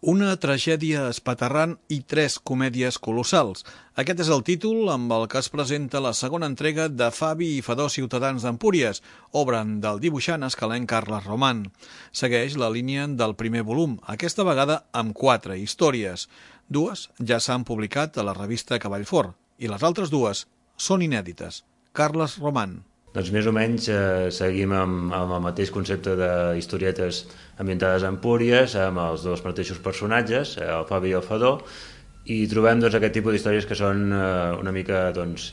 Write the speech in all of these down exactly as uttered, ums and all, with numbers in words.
Una tragèdia espaterrant i tres comèdies colossals. Aquest és el títol amb el que es presenta la segona entrega de Fabi i Fadó Ciutadans d'Empúries, obra del dibuixant escalenc Carles Roman. Segueix la línia del primer volum, aquesta vegada amb quatre històries. Dues ja s'han publicat a la revista Cavall Fort i les altres dues són inèdites. Carles Roman. Doncs més o menys eh, seguim amb, amb el mateix concepte d'historietes ambientades a Empúries, amb els dos mateixos personatges, el Fabi i el Fadó, i trobem doncs, aquest tipus d'històries que són eh, una mica doncs,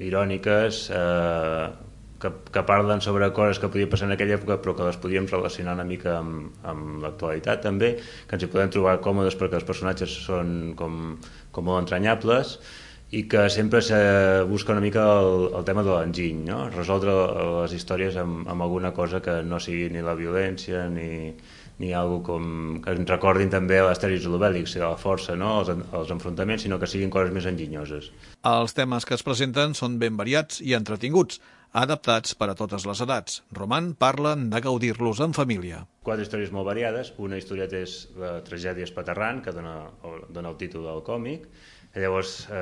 iròniques, eh, que, que parlen sobre coses que podien passar en aquella època però que les podíem relacionar una mica amb, amb l'actualitat també, que ens hi podem trobar còmodes perquè els personatges són com, com molt entranyables, i que sempre se busca una mica el, el tema de l'enginy, no? Resoldre les històries amb, amb alguna cosa que no sigui ni la violència ni, ni algo com, que ens recordin també l'Astèrix i l'Obèlix, la força, no? els, els enfrontaments, sinó que siguin coses més enginyoses. Els temes que es presenten són ben variats i entretinguts, adaptats per a totes les edats. Roman parla de gaudir-los en família. Quatre històries molt variades. Una historieta és la tragèdia espaterrant, que dona, dona el títol del còmic. Llavors, eh,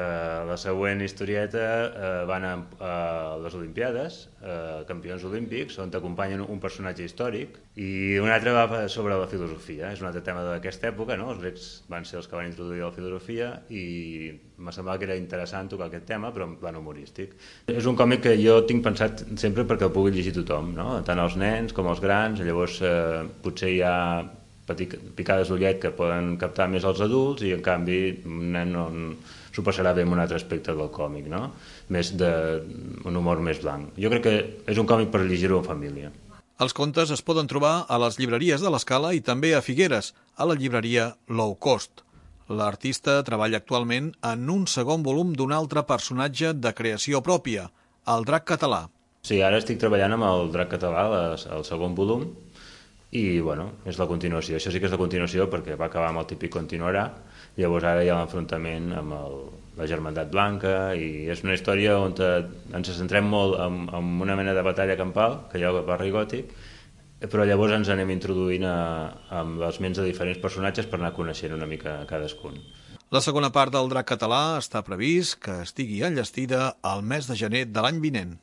la següent historieta eh, van a, a les Olimpiades, eh, campions olímpics, on t'acompanyen un personatge històric, i una altra va sobre la filosofia. És un altre tema d'aquesta època, no? Els grecs van ser els que van introduir la filosofia i m'ha semblat que era interessant tocar aquest tema, però en plan humorístic. És un còmic que jo tinc pensat sempre perquè el pugui llegir tothom, no? Tant els nens com els grans. Llavors eh, potser hi ha picades d'ullet que poden captar més els adults i en canvi un nen no s'ho passarà bé en un altre aspecte del còmic, no? Més d'un humor més blanc. Jo crec que és un còmic per llegir-ho en família. Els contes es poden trobar a les llibreries de l'Escala i també a Figueres, a la llibreria Low Cost. L'artista treballa actualment en un segon volum d'un altre personatge de creació pròpia, el Drac Català. Sí, ara estic treballant amb el Drac Català, el segon volum, i bueno, és la continuació. Això sí que és la continuació perquè va acabar amb el típic continuarà. Llavors ara hi ha l'enfrontament amb el, la Germandat Blanca i és una història on te, ens centrem molt en, en una mena de batalla campal que hi ha al barri gòtic, però llavors ens anem introduint a, amb les ments de diferents personatges per anar coneixent una mica cadascun. La segona part del Drac Català està previst que estigui enllestida al mes de gener de l'any vinent.